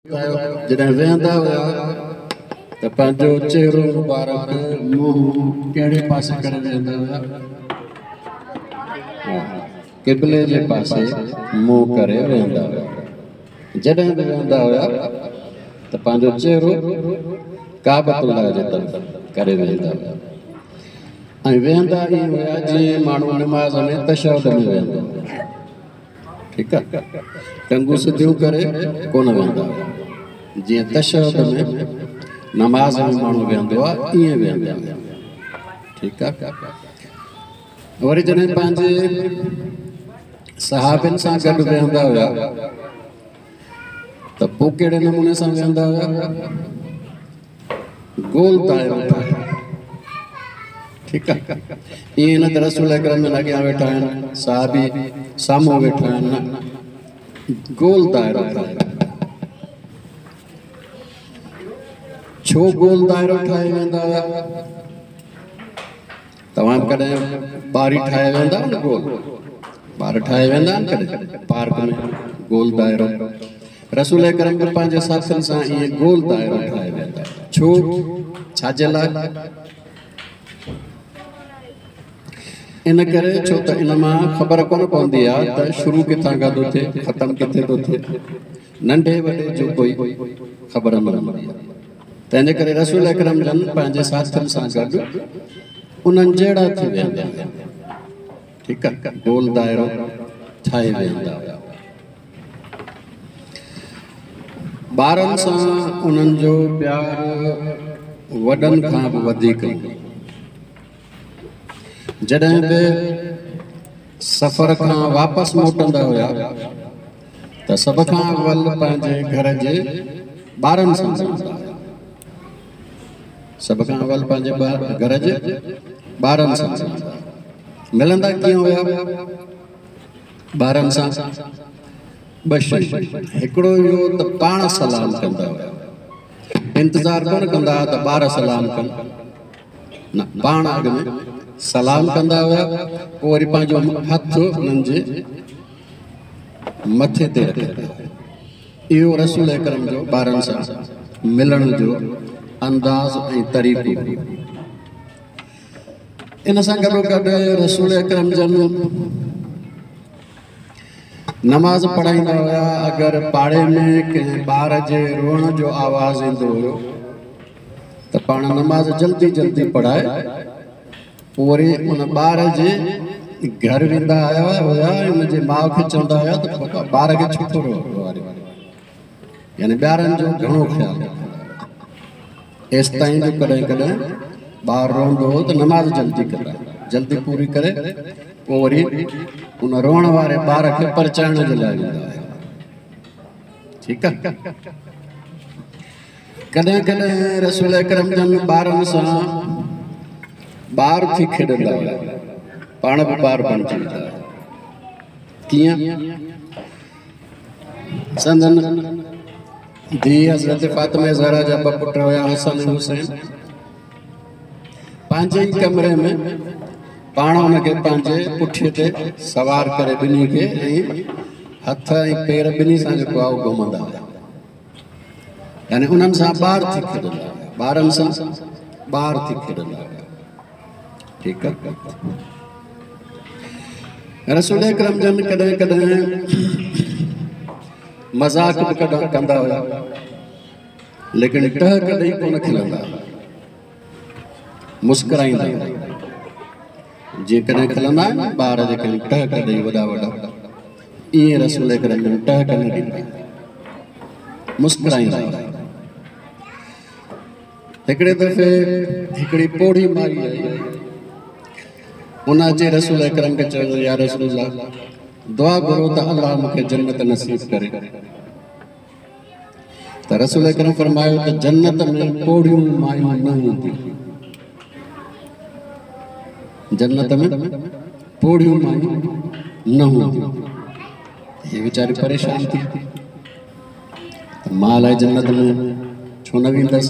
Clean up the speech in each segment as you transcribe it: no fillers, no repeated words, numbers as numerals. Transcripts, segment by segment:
جڏهن ويهندا هيا ته پنهنجو چهرو مبارڪ، منهن، ڪهڙي پاسي ڪري ويهندا هيا؟ قبلي جي پاسي منهن ڪري ويهندا هيا. جڏهن به ويهندا هيا ته پنهنجو چهرو ڪعبة الله جي طرف ڪري ويهندا هيا ۽ ويهندا ائين هيا جيئن ماڻهو نماز ۾ تشهد ۾ ويهندو آهي. ٺيڪ آ، ٽنگون سڌيون ڪري ڪونه ويهندا هيا، جيئن تشهد ۾ نماز ۾ ماڻهو ويهندو آ ائين ويهندا هيا. ٺيڪ آ، وري جڏهن پنهنجي صحابين سان گڏ ويهندا هيا ته پوء ڪهڙي نموني سان ويهندا هيا؟ گول دائرو ٺاهي. ٺيڪ آ، ائين نه ته رسول اڪرم جن اڳيان ويٺا آهن، صحابي سامهون ويٺا آهن، نه، گول دائرو ٺاهي. ڇو گول دائرو ٺاهي ويهندا هيا؟ توهان به ڪڏهن ٻاري ٺاهي ويهندا آهيو نه؟ گول ٻار ٺاهي ويهندا آهن ڪڏهن پارڪ ۾ گول دائرو. رسول اڪرم به پنهنجي ساٿين سان ائين گول دائرو ٺاهي ويهندا. ڇو؟ ڇا جي لاء؟ ان ڪري ڇو ته ان مان خبر ڪونه پوندي آهي ته شروع ڪٿان کان ٿو ٿئي، ختم ڪٿي ٿو ٿئي. ننڍي وڏي جو ڪوئي خبر نه هوندي آهي. تنهنجي ڪري رسول اڪرم جن پنهنجي ساٿين سان گڏ انهن جهڙا ٿي ويهندا هيا. ٺيڪ آهي، گول دائرو ٺاهي ويهندا هيا. ٻارن سان انهن جو پيار وڏن کان به وڌيڪ هوندو. جڏهن به سفر کان واپس موٽندا هيا ته سڀ کان اول پنهنجي گهر جي ٻارن سان ملندا هيا. سڀ کان اول پنهنجي گهر جي ٻارن سان ملندا هيا. ملندا ڪيئن هيا ٻارن سان؟ ٻه شيون، هڪڙو اهو ته پاڻ سلام ڪندا هيا، انتظار ڪونه ڪندا هيا ته ٻار سلام ڪن، نه، پاڻ اڳ ۾ سلام ڪندا هيا، پوء وري پنهنجو هٿ انهن جي مٿي تي رکندا هيا. اهو رسول اڪرم جو ٻارن سان ملڻ جو انداز ۽ طريقو هو. ان سان گڏوگڏ رسول اڪرم جن نماز پڙهائيندا هيا، اگر پاڙي ۾ ڪنهن ٻار جي روئڻ جو آواز ايندو هيو ته پاڻ نماز جلدي جلدي پڙهائي پوء وري ان ٻار جي گهر ويندا هيا ۽ ان جي ماء کي چوندا هيا ته بابا ٻار کي ڇو ٿو روئاريو، يعني ٻارن جو گهڻو خيال رکندا هيا. ايستائين جو ڪڏهن ڪڏهن ٻار روئندو هو ته نماز جلدي ڪندا، جلدي پوري ڪري پوء وري ان روئڻ واري ٻار کي پرچائڻ جي لاء ويندا هيا. ٺيڪ آ، ڪڏهن ڪڏهن رسول اڪرم جن ٻارن سان ٻار ٿي کيڏندا هيا، پاڻ به ٻار بڻجي ويندا هيا. ڪيئن؟ سندن ڌيء حضرت فاطمه زهرا جا ٻه پٽ هيا، حسن ۽ حسين. پنهنجي ئي ڪمري ۾ پاڻ ان کي پنهنجي پٺيء تي سوار ڪري ٻنهي کي ۽ هٿ ۽ پير ٻنهي سان جيڪو آهي اهو گهمندا هيا، يعني انهن سان ٻار ٿي کيڏندا هيا، ٻارن سان ٻار ٿي کيڏندا هيا. ٺيڪ آهي، رسول اڪرم جن ڪڏهن ڪڏهن مذاق به ڪندا هيا، ليڪن ٽهڪ ڏئي ڪونه کلندا هيا، مسڪرائيندا هيا. جيئن ڪڏهن کلندا آهن ٻار جيڪڏهن ٽهڪ ڏئي وڏا وڏا، ائين رسول اڪرم جن ٽهڪ نه ڏيندا، مسڪرائيندا هيا. هڪڙي دفعي هڪڙي پوڙهي مائي آئي، ان اچي رسول اڪرم کي چيو يا رسول الله دعا گهرو ته الله مون کي جنت نصيب ڪري. ته رسول اڪرم فرمايو ته جنت ۾ پوڙهيون مايون نه هونديون، جنت ۾ پوڙهيون مايون نه هونديون. هي ويچاري پريشان ٿي ته مان الائي جنت ۾ ڇو نه ويندس.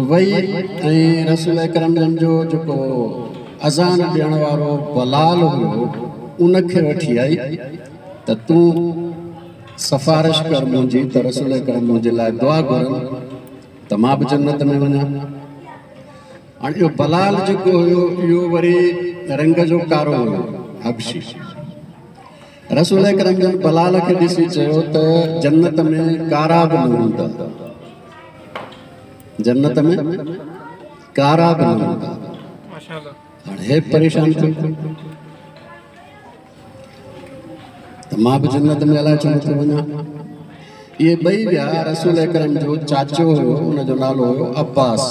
وئي ۽ رسول اڪرم جن جو جيڪو اذان ڏيڻ وارو بلال هيو ان کي وٺي آئي ته تون سفارش ڪر منهنجي ته رسول اڪرم منهنجي لاء دعا گهرن ته مان به جنت ۾ وڃان. هاڻي اهو بلال جيڪو هيو اهو وري رنگ جو ڪارو هيو، حبشي. رسول اڪرم جن بلال کي ڏسي چيو ته جنت ۾ ڪارا به نه هوندا، جنت ۾ ڪارا به نه هوندا. هاڻي هي پريشان ٿيو ته مان به جنت ۾ الائي ڇو نٿو وڃان. اهي ٻئي ويا. رسول اڪرم جو چاچو هيو، ان جو نالو هيو عباس،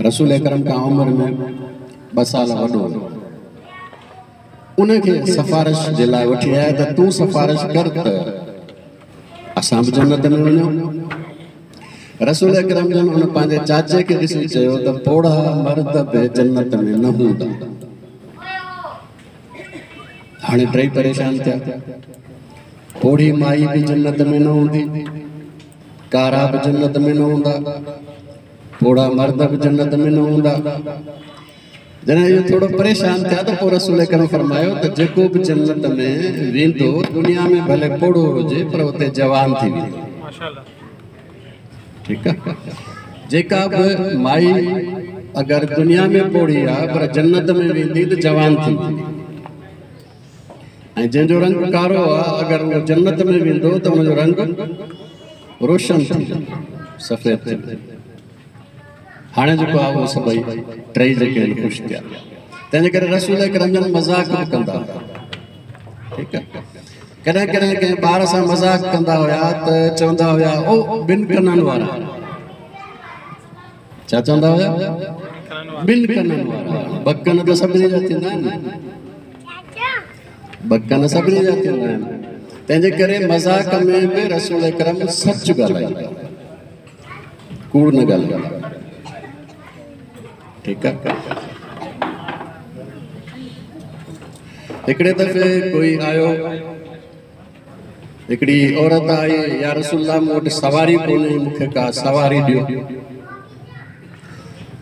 رسول اڪرم کان عمر ۾ 2 سال وڏو هيو. ان کي سفارش جي لاء وٺي آيا ته تون سفارش ڪر ته اسان به جنت ۾ وڃون. رسول اڪرم جن ان پنهنجي چاچي کي ڏسي چيو ته پوڙها مرد به جنت ۾ نه هوندا. هاڻي ٽئي پريشان ٿيا. پوڙهي مائي به جنت ۾ نه هوندي، ڪارا به جنت ۾ نه هوندا، پوڙها مرد به جنت ۾ نه هوندا. جڏهن اهو ٿورو پريشان ٿيا ته پوء رسول اڪرم فرمايو ته جيڪو به جنت ۾ ويندو دنيا ۾ ڀلي پوڙهو هجي پر اتي جوان ٿي ويندو. ٺيڪ آ، جيڪا به مائي اگر دنيا ۾ پوڙهي آ پر جنت ۾ ويندي ته جوان ٿي ويندي، ۽ جنهن جو رنگ ڪارو آ اگر اهو جنت ۾ ويندو ته ان جو رنگ روشن ٿي ويندو، سفيد ٿي ويندو. هاڻي جيڪو آهي اهو سڀئي ٽئي جيڪي آهن خوش ٿيا. تنهنجي ڪري رسول اڪرم جن مذاق به ڪندا هئا. ٺيڪ آهي، ڪڏهن ڪڏهن ڪنهن ٻار سان مذاق ڪندا هيا ته چوندا هيا او ٻن ڪنن وارا. ڇا چوندا هيا؟ ٻن ڪنن وارا. ٻه ڪن ته سڀني جا ٿيندا آهن، ٻه ڪن سڀني جا ٿيندا آهن. تنهنجي ڪري مذاق ۾ به رسول اڪرم سچ ڳالهائيندا، ڪوڙ نه ڳالهائيندا. ٺيڪ آهي، هڪڙي دفعي ڪوئي آيو، هڪڙي عورت آئي، يا رسول الله مون وٽ سواري ڪونهي، مون کي ڪا سواري ڏيو.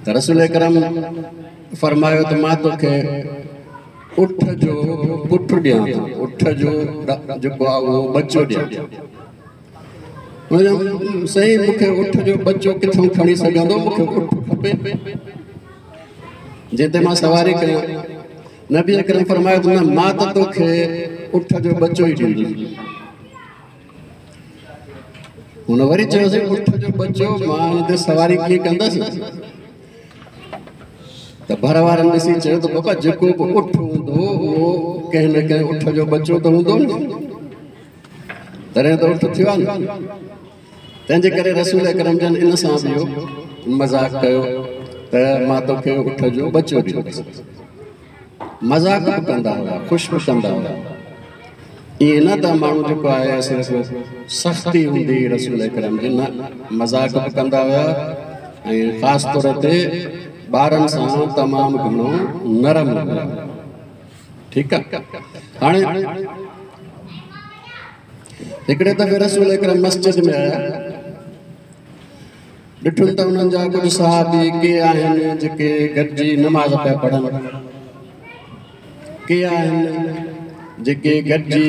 ته رسول اڪرم فرمايو ته مان توکي اٺ جو پٽ ڏيان ٿو، اٺ جو جيڪو آهي اهو ٻچو ڏيان ٿو. سائين مون کي اٺ جو ٻچو ڪٿان کڻي سگهندو، مون کي اٺ کپي جنهن تي مان سواري ڪيان. نبي اڪرم فرمايو ته نه، مان ته توکي اٺ جو ٻچو ئي ڏيندس. هن وري چيو سائين اٺ جو ٻچو مان ان تي سواري ڪيئن ڪندس؟ ته ڀر وارن ڏسي چيو ته بابا جيڪو به اٺ هوندو اهو ڪنهن نه ڪنهن اٺ جو ٻچو ته هوندو نه، تڏهن ته اٺ ٿيو آهي نه. تنهنجي ڪري رسول اڪرم جن ان سان به اهو مذاق ڪيو ته مان توکي اٺ جو ٻچو ڏيندس. مذاق به ڪندا هيا، خوش به ڪندا هيا. ائين نه ته ماڻهو جيڪو آهي صرف سختي هوندي هئي رسول اڪرم جي، نه، مذاق به ڪندا هيا ۽ خاص طور تي ٻارن سان تمام گهڻو نرم هيا. ٺيڪ آهي، هاڻي هڪڙي دفعي رسول اڪرم مسجد ۾ آيا، ڏٺن ته انهن جا ڪجهه صحابي ڪي آهن جيڪي گڏجي نماز پيا پڙهن، ڪي آهن جيڪي گڏجي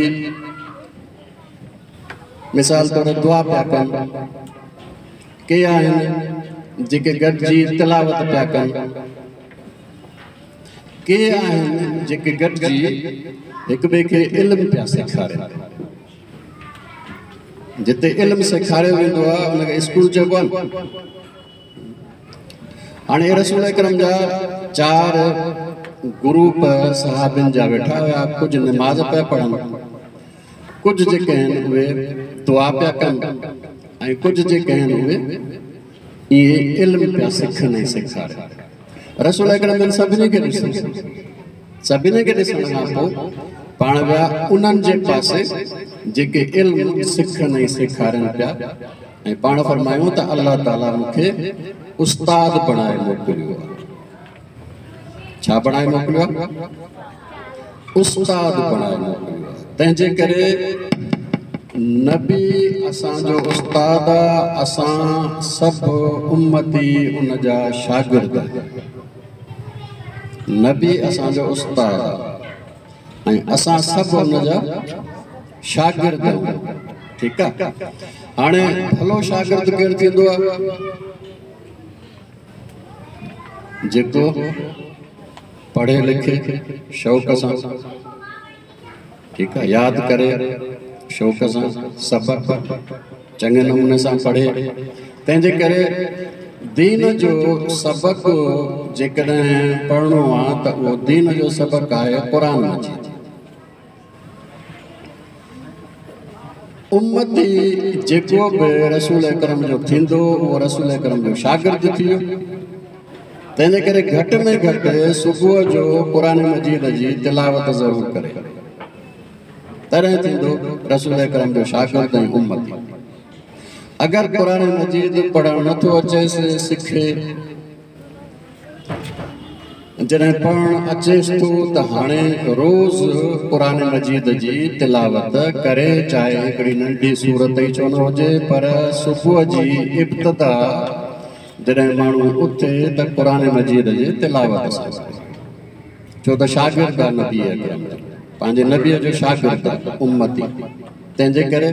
مثال طور دعا پيا ڪن، ڪي آهن جيڪي گڏجي تلاوت پيا ڪن، ڪي آهن جيڪي گڏجي هڪ ٻئي کي علم پيا سيکارين. جتي علم سيکاريو ويندو آهي ان کي اسڪول چئبو آهي. هاڻي رسول اڪرم جا 4 گروپ صحابين جا ويٺا هيا، ڪجهه نماز پيا پڙهن، ڪجهه جيڪي آهن اهي دعا پيا ڪن، ۽ ڪجهه جيڪي آهن اهي اهي علم پيا سکن ۽ سيکارين. رسول اڪرم جن سڀني کي ڏسو، سڀني کي ڏسڻ کان پوء پاڻ ويا انهن جي پاسي جيڪي علم سکن ۽ سيکارين پيا، ۽ پاڻ فرمايو ته الله تعاليٰ مون کي استاد بڻائي موڪليو آهي. ڇا بڻائي موڪليو آهي؟ استاد بڻائي موڪليو آهي. تنهنجي ڪري نبي اسان جو استاد آ، اسان سڀ امتي ان جا شاگرد آهيون. نبي اسان جو استاد آ ۽ اسان سڀ ان جا شاگرد آهيون. ٺيڪ آ، هاڻي ڀلو شاگرد ڪير ٿيندو آ؟ جيڪو پڙهي لکي شوق سان، ٺيڪ آ، ياد ڪري شوق سان، سبق چڱي نموني سان پڙهي. تنهن جي ڪري دين جو سبق جيڪڏهن پڙهڻو آ ته اهو دين جو سبق آهي قرآن مجيد. امتي جيڪو به رسول اڪرم جو ٿيندو اهو رسول اڪرم جو شاگرد ٿي ويو. تنهن جي ڪري گهٽ ۾ گهٽ صبح جو قرآن مجيد جي تلاوت ضرور ڪري، تڏهن ٿيندو رسول اڪرم جو شاگرد ۽ امتي. اگر قرآن مجيد پڙهڻ نٿو اچيس، سکي. جڏهن پڙهڻ اچيس ٿو ته هاڻي روز قرآن مجيد جي تلاوت ڪري، چاهي هڪڙي ننڍي سورت ئي ڇو نه هجي، پر صبح جي ابتدا جڏهن ماڻهو اٿي ته قرآن مجيد جي تلاوت سان ڪري، ڇو ته شاگرد آ نبي اڪرم جو، پنهنجي نبيء جو شاگرد آ، امتي. تنهن جي ڪري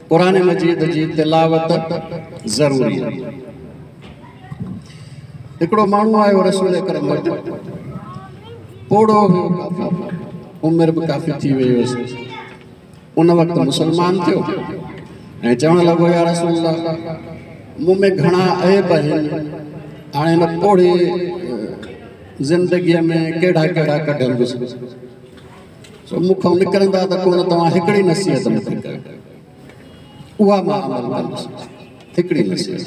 قرآن مجيد جي تلاوت ضروري آ. هڪڙو ماڻهو آيو رسول اڪرم وٽ، پوڙهو هيو، ڪافي عمر به ڪافي ٿي وئي هيس. ان وقت مسلمان ٿيو ۽ چوڻ لڳو، يا رسول الله، مون ۾ گهڻا عيب آهن، هاڻي هن پوڙهي زندگيء ۾ ڪهڙا ڪهڙا ڪڍندس، سو مون کان نڪرندا ته ڪونه، توهان هڪڙي نصيحت مون کي ڪيو، اها مان عمل ڪندس، هڪڙي نصيحت.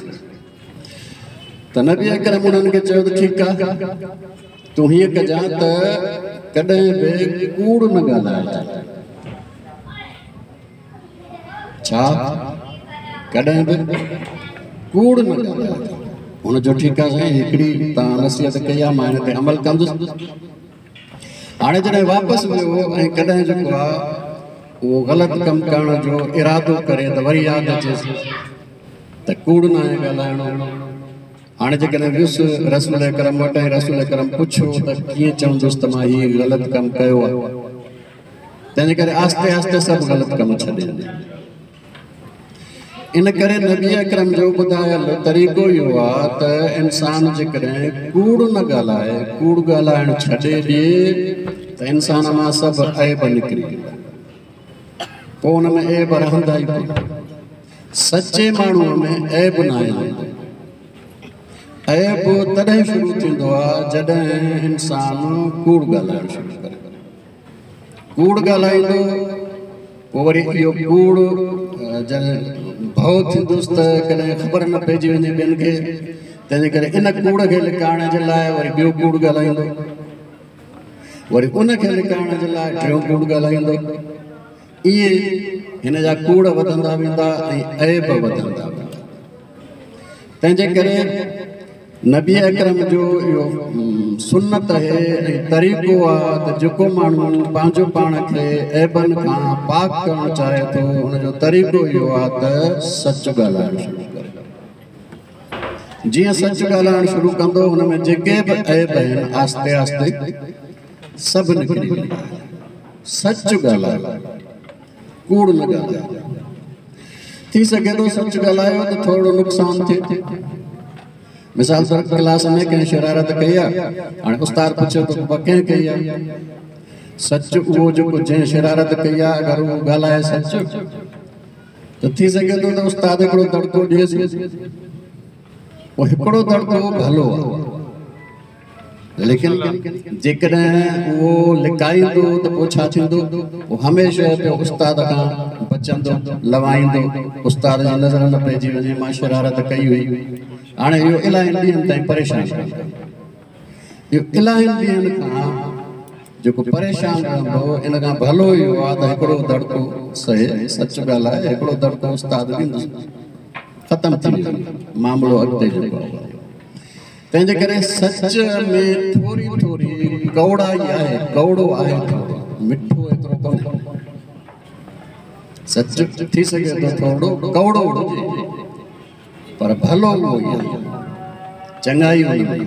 ته نبي اڪرم انهن کي چيو ته ٺيڪ آ، تون هيئن ڪجان ته ڪڏهن به ڪوڙ نه ڳالهائجان. ڇا؟ ڪڏهن به ڪوڙ نه ڳالهائجان. هن چيو ٺيڪ آ سائين، هڪڙي توهان نصيحت ڪئي آ، مان هن تي عمل ڪندس. هاڻي جڏهن واپس ويو ۽ ڪڏهن جيڪو آ اهو غلط ڪم ڪرڻ جو ارادو ڪري ته وري ياد اچيس ته ڪوڙ ناهي ڳالهائڻو. هاڻي جيڪڏهن ويس رسول اڪرم وٽ ۽ رسول اڪرم پڇيو ته ڪيئن چوندس ته مان هي غلط ڪم ڪيو آهي. تنهنجي ڪري آهستي آهستي سڀ غلط ڪم ڇڏي ڏنا. ان ڪري نبي اڪرم جو ٻڌايل طريقو اهو آهي ته انسان جيڪڏهن ڪوڙ نه ڳالهائي، ڪوڙ ڳالهائڻ ڇڏي ڏئي ته انسان مان سڀ عيب نڪري ويندا، پوء ان ۾ عيب رهندا ئي ڪونه. سچي ماڻهوء ۾ عيب ناهي هوندو. عيب تڏهن شروع ٿيندو آهي جڏهن انسان ڪوڙ ڳالهائڻ شروع ڪري. ڪوڙ ڳالهائيندو، پوء وري اهو ڪوڙ جڏهن ڀؤ ٿيندس ته ڪڏهن خبر نه پئجي وڃي ٻين کي، تنهنجي ڪري ان ڪوڙ کي لڪائڻ جي لاء وري ٻيو ڪوڙ ڳالهائيندو، وري ان کي لڪائڻ جي لاء ٽيون ڪوڙ ڳالهائيندو. ائين هن جا ڪوڙ وڌندا ويندا ۽ عيب وڌندا ويندا. تنهنجي ڪري نبي اڪرم جو اهو سنت آهي ۽ طريقو آهي ته جيڪو ماڻهو پنهنجو پاڻ کي عيبن کان پاڪ ڪرڻ چاهي ٿو، ان جو طريقو اهو آهي ته سچ ڳالهائڻ شروع ڪري. جيئن سچ ڳالهائڻ شروع ڪندو، ان ۾ جيڪي به عيب آهن آهستي آهستي سڀ نڪري ويندا. سچ ڳالهايو، ڪوڙ نه ڳالهايو. ٿي سگهي ٿو سچ ڳالهايو ته ٿورڙو نقصان ٿئي. مثال طور ڪلاس ۾ ڪنهن شرارت ڪئي آهي، هاڻي استاد پڇي ٿو بابا ڪنهن ڪئي آهي؟ سچ اهو جيڪو جنهن شرارت ڪئي آهي، اگر اهو ڳالهائي سچ ته ٿي سگهي ٿو ته استاد هڪڙو دڙڪو ڏئيس. اهو هڪڙو دڙڪو ڀلو آهي، ليڪن جيڪڏهن اهو لڪائيندو ته پوء ڇا ٿيندو؟ اهو هميشه پيو استاد کان بچندو، لوائيندو، استاد جي نظر نه پئجي وڃي، مان شرارت ڪئي هئي. هاڻي اهو الاهين ڏينهن تائين پريشان رهندو. اهو الاهين ڏينهن کان جيڪو پريشان رهندو، ان کان ڀلو اهو آهي ته هڪڙو دڙڪو سهي، سچ ڳالهائي، هڪڙو دڙڪو استاد ڏيندس، ختم ٿي ويندو معاملو اڳتي جيڪو آهي. تنهن جي ڪري سچ ۾ ٿوري ٿوري ڪؤڙائي آهي، ڪؤڙو آهي ٿورو، مٺو ايترو ڪونهي. سچ ٿي سگهي ٿو ٿورو ڪؤڙو هجي، پر ڀلو اهو ئي آهي، چڱائي ان ۾ آهي.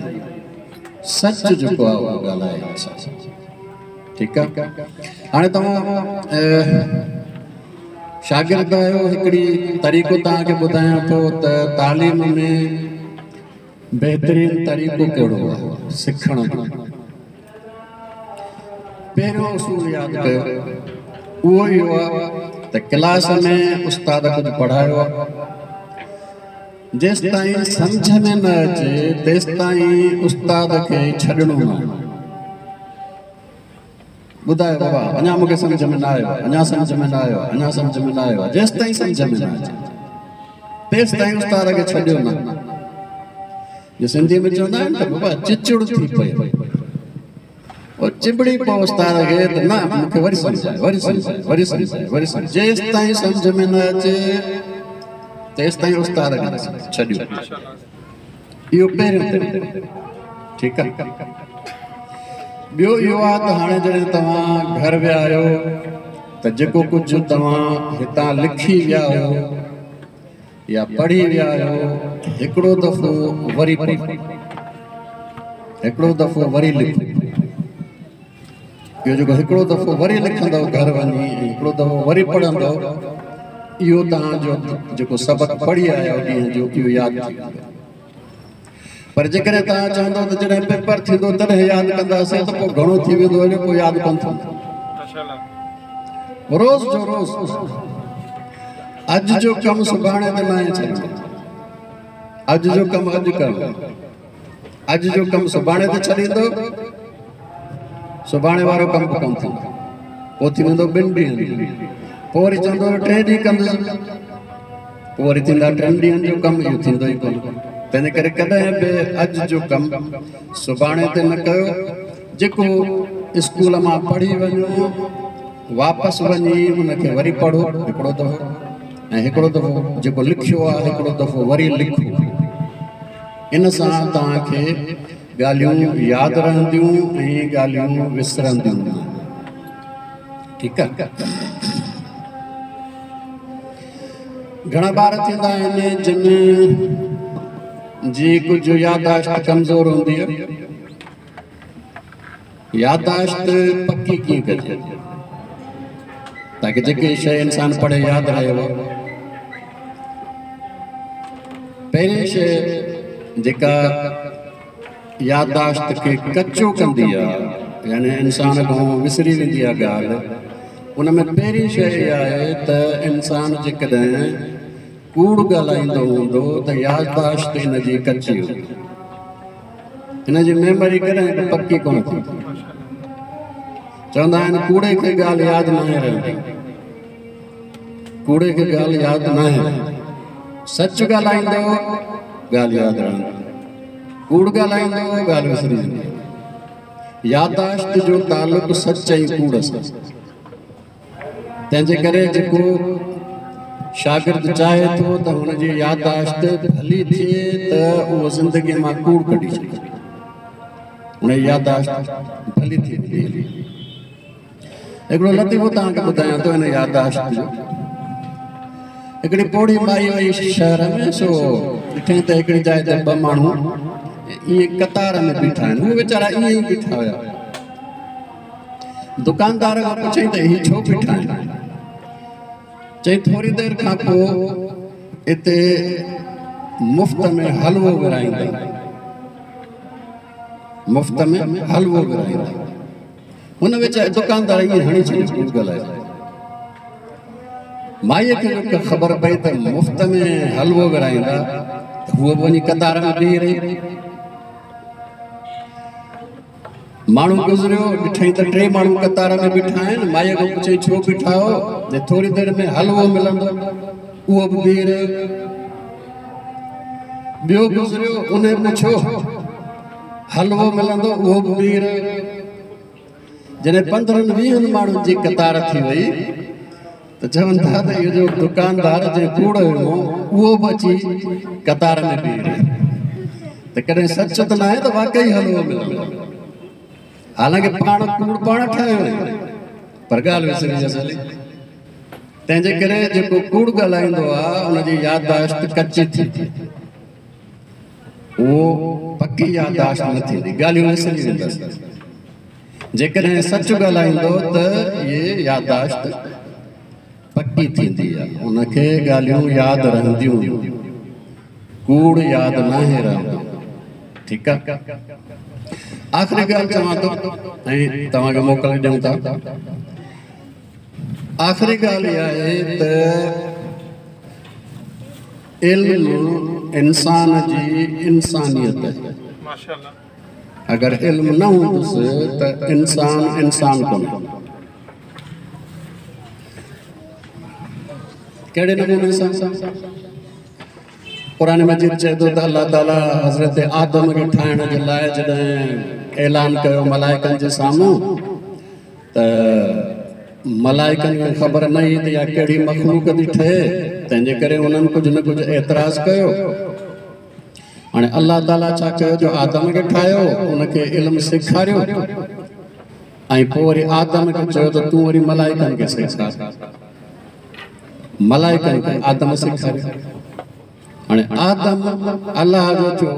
سچ جيڪو آهي اهو ڳالهائي انسان. ٺيڪ آهي، هاڻي توهان شاگرد آهيو، هڪڙي طريقو توهان کي ٻڌايان ٿو ته تعليم ۾ بهترين طريقو ڪهڙو آهي سکڻ جو. پهريون اصول ياد ڪيو، اهو اهو آهي ته ڪلاس ۾ استاد ڪجهه پڙهايو آهي، جيستائين سمجهه ۾ نه اچي تيستائين استاد کي ڇڏڻو نه آهي. ٻڌايو بابا اڃا مون کي سمجهه ۾ نه آيو آهي، اڃا سمجهه ۾ نه آيو آهي، اڃا سمجهه ۾ نه آيو آهي. جيستائين سمجهه ۾ نه اچي تيستائين استاد کي ڇڏيو نه. جو سنڌيء ۾ چوندا آهن ته بابا چچڙ ٿي پيو، او چنبڙي پئو استاد کي ته نه مون کي وري سمجهاء، وري سمجهاء، وري سمجهاء، وري سمجهاء. جيستائين سمجهه ۾ نه اچي تيستائين استاد کي ڇڏيو. اهو پهريون طريقو، ٺيڪ آهي. ٻيو اهو آهي ته هاڻي جڏهن توهان گهر ويا آهيو ته جيڪو ڪجهه توهان هتان لکي ويا آهيو يا پڙهي ويا آهيو، هڪڙو دفعو وري پڙهو، هڪڙو دفعو وري لکو. اهو جيڪو هڪڙو دفعو وري لکندؤ گهر وڃي ۽ هڪڙو دفعو وري پڙهندؤ، اهو توهان جو جيڪو سبق پڙهي آيا آهيو ڏينهن جو، اهو ياد ٿي ويندو. پر جيڪڏهن توهان چوندؤ ته جڏهن پيپر ٿيندو تڏهن ياد ڪنداسين ته پوء گهڻو ٿي ويندو هليو، پوء ياد ڪونه ٿيندو. روز جو روز اڄ جو ڪم سڀاڻي تي ناهي ڇڏڻو، اڄ جو ڪم اڄ ڪرڻو. اڄ جو ڪم سڀاڻي تي ڇڏيندو، سڀاڻي وارو ڪم به ڪونه ٿيندو، پوء ٿي ويندو ٻن ڏينهن جو، پوء وري چوندو ٽئين ڏينهن ڪندس، پوء وري ٿيندا ٽن ڏينهن جو ڪم، اهو ٿيندو ئي ڪونه. تنهن ڪري ڪڏهن به اڄ جو ڪم سڀاڻي تي نه ڪيو. جيڪو اسڪول مان پڙهي وڃو، واپس وڃي ان کي وري پڙهو هڪڙو دفعو، ۽ هڪڙو دفعو جيڪو لکيو آهي هڪڙو دفعو وري لکو. ان سان توهان کي ڳالهيون ياد رهنديون ۽ ڳالهيون وسرنديون نه. ٺيڪ آ. گهڻا ٻار ٿيندا آهن جن جي ڪجهه ياداشت ڪمزور هوندي آهي. ياداشت پڪي ڪيئن ڪجي تاڪه جيڪي شيء انسان پڙهي ياد رهي. پهرين شيء جيڪا ياداشت کي ڪچو ڪندي آهي، يعني انسان کان وسري ويندي آهي ڳالهه، ان ۾ پهرين شيء اها آهي ته انسان جيڪڏهن ڪوڙ ڳالهائيندو هوندو ته ياداشت ان جي ڪچي هوندي، هن جي ميموري ڪڏهن به پڪي ڪونه ٿيندي. چوندا آهن ڪوڙي کي ڳالهه ياد ناهي رهندي، ڪوڙي کي ڳالهه ياد ناهي رهندي. سچ ڳالهائيندو ڳالهه ياد رهندي، ڪوڙ ڳالهائيندو ڳالهه وسري ويندي. ياداشت جو تعلق سچ ۽ ڪوڙ سان، تنهن جي ڪري جيڪو شاگرد چاهي ٿو ته هن جي ياداشت ڀلي ٿئي ته اهو زندگيء مان ڪوڙ ڪڍي ڇڏي، هن جي ياداشت ڀلي ٿي ويندي. هڪڙو لطيفو توهان کي ٻڌايان ٿو ان ياداشت جو. هڪڙي پوڙهي مائي وئي شهر ۾، سو ڏٺائين ته هڪڙي جاء تي ٻه ماڻهو ائين قطار ۾ بيٺا آهن. هو ويچارا ائين ئي بيٺا هيا. دڪاندار کان پڇيائين ته هي ڇو بيٺا آهن؟ چئي ٿوري دير کان پوء اتي مفت ۾ حلوو ورهائيندا، مفت ۾ حلوو ورهائيندا. هن ويچاري دڪاندار ائين هڻي ڇڏيو ڪوڙ ڳالهائي. مائيء کي جو خبر پئي ته مفت ۾ حلوو ورهائيندا ته هوء به وڃي قطار ۾ بيهي رهي. ماڻهو گذريو، ڏٺائين ته ٽي ماڻهو قطار ۾ بيٺا آهن. مائيء کان پڇيائين ڇو بيٺا آهيو؟ جي ٿوري دير ۾ حلوو ملندو. اهو به بيهي رهيو. ٻيو گذريو، انهي پڇيو حلوو ملندو؟ اهو به بيهي رهيو. جڏهن 15 20 ماڻهن جي قطار ٿي وئي ته چون ٿا ته اهو جو دڪاندار جنهن ڪوڙ هنيو اهو به اچي قطار ۾ بيهي رهيو ته ڪڏهن سچ ته ناهي ته واقعي حلوو ملندو، حالانڪه پاڻ ڪوڙ پاڻ ٺاهيو آهي، پر ڳالهه وسري ويس هلي. تنهن جي ڪري جيڪو ڪوڙ ڳالهائيندو آهي ان جي يادداشت ڪچي ٿي، اهو پڪي يادداشت نه ٿيندي، ڳالهيون وسري ويندس. جيڪڏهن سچ ڳالهائيندو ته اهي يادداشت پڪي پڪي ٿيندي آهي، ان کي ڳالهيون ياد رهنديون، ڪوڙ ياد ناهي رهندو. ٺيڪ آهي، آخري ڳالهه چوان ٿو ۽ توهان کي موڪل ڏيون ٿا. آخري ڳالهه اها آهي ته علم انسان جي انسانيت آهي. اگر علم نه هوندس ته انسان انسان ڪونهي. ڪهڙي نموني سان؟ قرآن مجيد چئي ٿو ته الله تعاليٰ حضرت آدم کي ٺاهڻ جي لاء جڏهن اعلان ڪيو ملائڪن جي سامهون ته ملائڪن کي خبر نه هئي ته اها ڪهڙي مخلوق ٿي ٺهي، تنهن جي ڪري انهن ڪجهه نه ڪجهه اعتراض ڪيو. هاڻي الله تعاليٰ ڇا ڪيو جو آدم کي ٺاهيو، ان کي علم سيکاريو ۽ پوء وري آدم کي چيو ته تون وري ملائڪن کي سيکار. ملائڪن کي آدم سيکاريو. هاڻي آدم الله جو ٿيو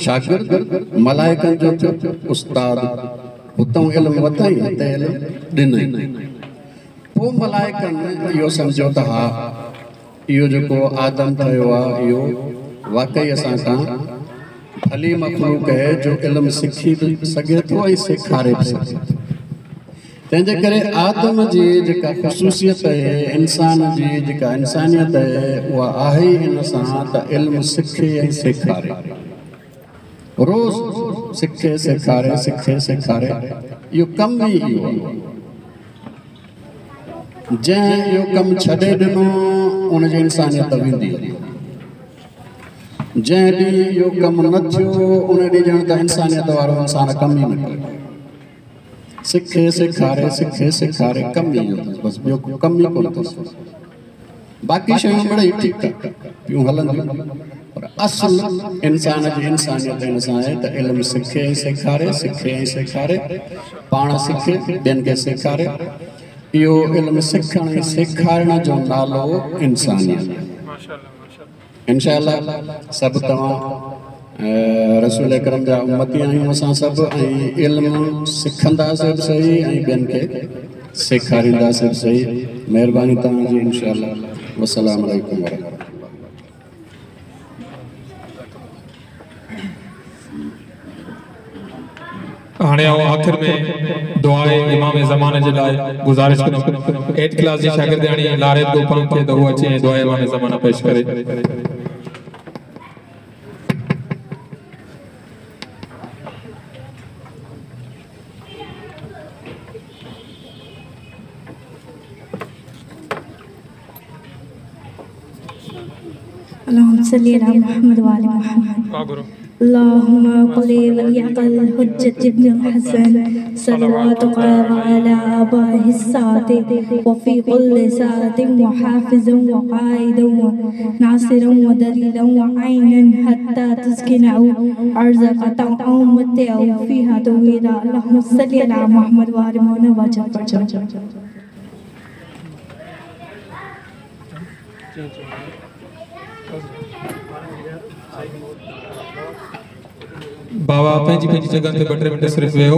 شاگرد، ملائڪن جو ٿيو استاد. هتئون علم ورتائين، هتي علم ڏنائين. پوء ملائڪن اهو سمجهيو ته ها، اهو جيڪو آدم ٺهيو آهي اهو واقعي اسان کان ڀلي مخلوق آهي جو علم سکي به سگهي ٿو ۽ سيکاري به سگهي ٿو. تنهن جي ڪري آدم جي جيڪا خصوصيت آهي، انسان جي جيڪا انسانيت آهي، اها آهي ئي ان سان ته علم سکي ۽ سيکاري. روز سکي سيکاري، سکي سيکاري، اهو ڪم ئي اهو آهي. جنهن اهو ڪم ڇڏي ڏنو ان جي انسانيت ويندي هلي. جنهن ڏينهن اهو ڪم نه ٿيو ان ڏينهن ڄڻ ته انسانيت وارو انسان ڪم ئي نه ڪيو. سکي سيکاري، سکي سيکاري، ڪم ئي اهو اٿس، بس ٻيو ڪو ڪم ئي ڪونه اٿس. باقي شيون مڙئي ٺيڪ پيون هلنديون، پر اصل انسان جي انسانيت ان سان آهي ته علم سکي ۽ سيکاري، سکي ۽ سيکاري، پاڻ سکي ٻين کي سيکاري. اهو علم سکڻ ۽ سيکارڻ جو نالو انسانيت. انشاء الله سڀ توهان رسول اڪرم جا امتي آهيون اسان سڀ، ۽ علم سکنداسين به صحيح ۽ ٻين کي سيکارينداسين به صحيح. مهرباني توهان جي انشاء الله. والسلام عليڪم ورحمة الله. هاڻي آئون آخر ۾ دعاء امام زمانه جي لاء گذارش ڪندم ايٽ ڪلاس جي شاگردياڻي لاريب گوپانگ کي ته هو اچي ۽ دعاء امام زمانه پيش ڪري. اللهم صل على محمد وآل محمد. اللهم قل وليك الحجة ابن الحسن صلواتك وعلى آبائه السادة وفي كل ساعة وحافظا وقائدا وناصرا ودليلا وعينا حتى تسكنه أرزق طوعا ومتعه فيها طويلا. اللهم صل على محمد وآل محمد وجل فرجه. بابا پنهنجي پنهنجي جڳهن تي ٻه ٽي منٽ صرف ويهو.